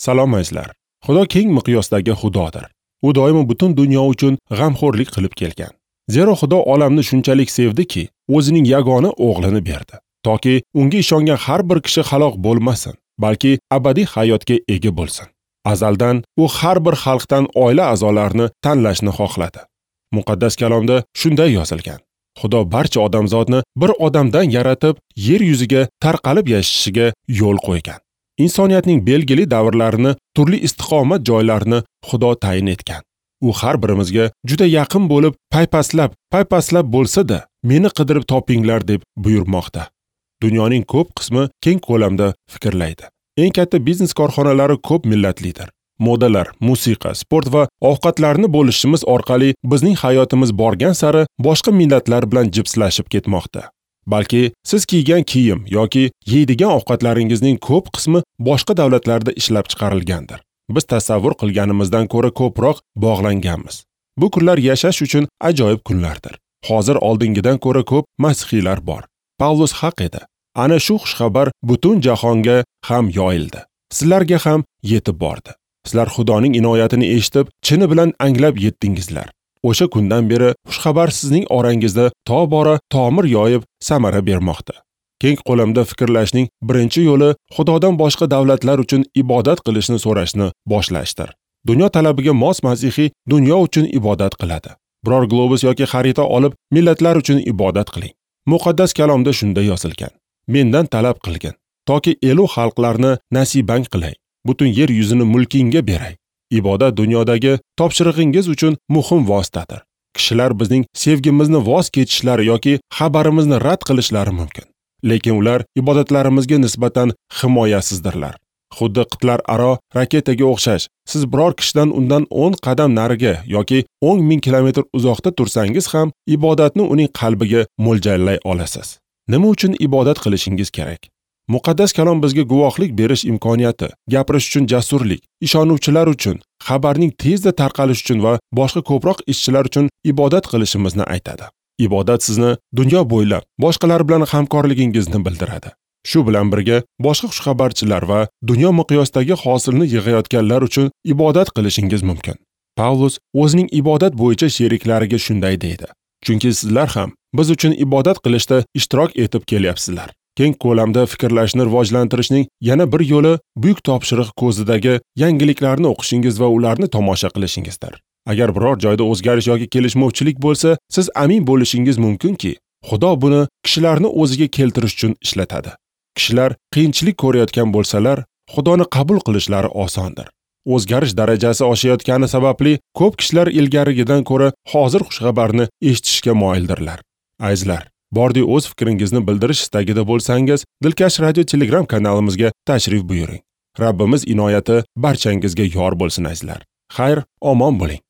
Salom azizlar. Xudo keng miqyosdagi Xudodir. U doimo butun dunyo uchun g'amxo'rlik qilib kelgan. Zero Xudo olamni shunchalik sevdiki, o'zining yagona o'g'lini berdi, toki unga ishongan har bir kishi halok bo'lmasin, balki abadiy hayotga ega bo'lsin. Azaldan u har bir xalqdan oila a'zolarini tanlashni xohladi. Muqaddas kalomda shunday yozilgan: Xudo barcha odamzodni bir odamdan yaratib, yer yuziga tarqalib yashashiga yo'l qo'ygan. Insoniyatning belgili davrlarini, turli istiqomat joylarini Xudo tayin etgan. U har birimizga juda yaqin bo'lib, paypaslab bo'lsa-da, meni qidirib topinglar deb buyurmoqda. Dunyoning ko'p qismi keng ko'lamda fikrlaydi. Eng katta biznes korxonalari ko'p millatlidir. Modalar, musiqa, sport va ovqatlarni bo'lishimiz orqali bizning hayotimiz borgan sari boshqa millatlar bilan jipslashib ketmoqda. Balki siz kiygan kiyim yoki yeydigan ovqatlaringizning ko'p qismi boshqa davlatlarda ishlab chiqarilgandir. Biz tasavvur qilganimizdan ko'ra ko'proq bog'langanmiz. Bu kunlar yashash uchun ajoyib kunlardir. Hozir oldingidan ko'ra ko'p masihiylar bor. Pavlus haq edi. Ana shu xushxabar butun jahonga ham yoyildi. Sizlarga ham yetib bordi. Sizlar Xudoning inoyatini eshitib, chini bilan anglab yetdingizlar. O'sha kundan beri xushxabar sizning orangizda tobora tomir yoyib samara bermoqda. Keng qo'lamda fikrlashning birinchi yo'li Xudodan boshqa davlatlar uchun ibodat qilishni so'rashni boshlashdir. Dunyo talabiga mos masihiy dunyo uchun ibodat qiladi. Biror globus yoki xarita olib millatlar uchun ibodat qiling. Muqaddas kalomda shunday yozilgan: Mendan talab qilgin, toki elu xalqlarni nasibang qilay, butun yer yuzini mulkingga beray. Ibodat dunyodagi topshirig'ingiz uchun muhim vositadir. Kishilar bizning sevgimizni voz kechishlari yoki xabarimizni rad qilishlari mumkin. Lekin ular ibodatlarimizga nisbatan himoyasizdirlar. Xuddi qit'alararo raketaga o'xshash, siz biror kishidan undan 10 qadam nariga yoki 10 ming kilometr uzoqda tursangiz ham ibodatni uning qalbiga mo'ljallay olasiz. Nima uchun ibodat qilishingiz kerak? Muqaddas kalom bizga guvohlik berish imkoniyati, gapirish uchun jasurlik, ishonuvchilar uchun, xabarning tezda tarqalishi uchun va boshqa ko'proq ishchilar uchun ibodat qilishimizni aytadi. Ibodat sizni dunyo bo'ylab boshqalar bilan hamkorligingizni bildiradi. Shu bilan birga boshqa xushxabarchilar va dunyo miqyosidagi hosilni yig'ayotganlar uchun ibodat qilishingiz mumkin. Pavlus o'zining ibodat bo'yicha sheriklariga shunday deydi: Chunki sizlar ham biz uchun ibodat qilishda ishtirok etib kelyapsizlar. Keng ko'lamda fikrlashni rivojlantirishning yana bir yo'li buyuk topshiriq ko'zidagi yangiliklarni o'qishingiz va ularni tomosha qilishingizdir. Agar biror joyda o'zgarish yoki kelishmovchilik bo'lsa, siz amin bo'lishingiz mumkinki, Xudo buni kishilarni o'ziga keltirish uchun ishlatadi. Kishilar qiyinchilik ko'rayotgan bo'lsalar, Xudoni qabul qilishlari osondir. O'zgarish darajasi oshayotgani sababli ko'p kishilar ilgarigidan ko'ra hozir xushxabarni eshitishga moyildirlar. Azizlar, bordi o'z fikringizni bildirish istagida bo'lsangiz, Dilkash radio Telegram kanalimizga tashrif buyuring. Rabbimiz inoyati barchangizga yor bo'lsin azizlar. Xayr, omon bo'ling.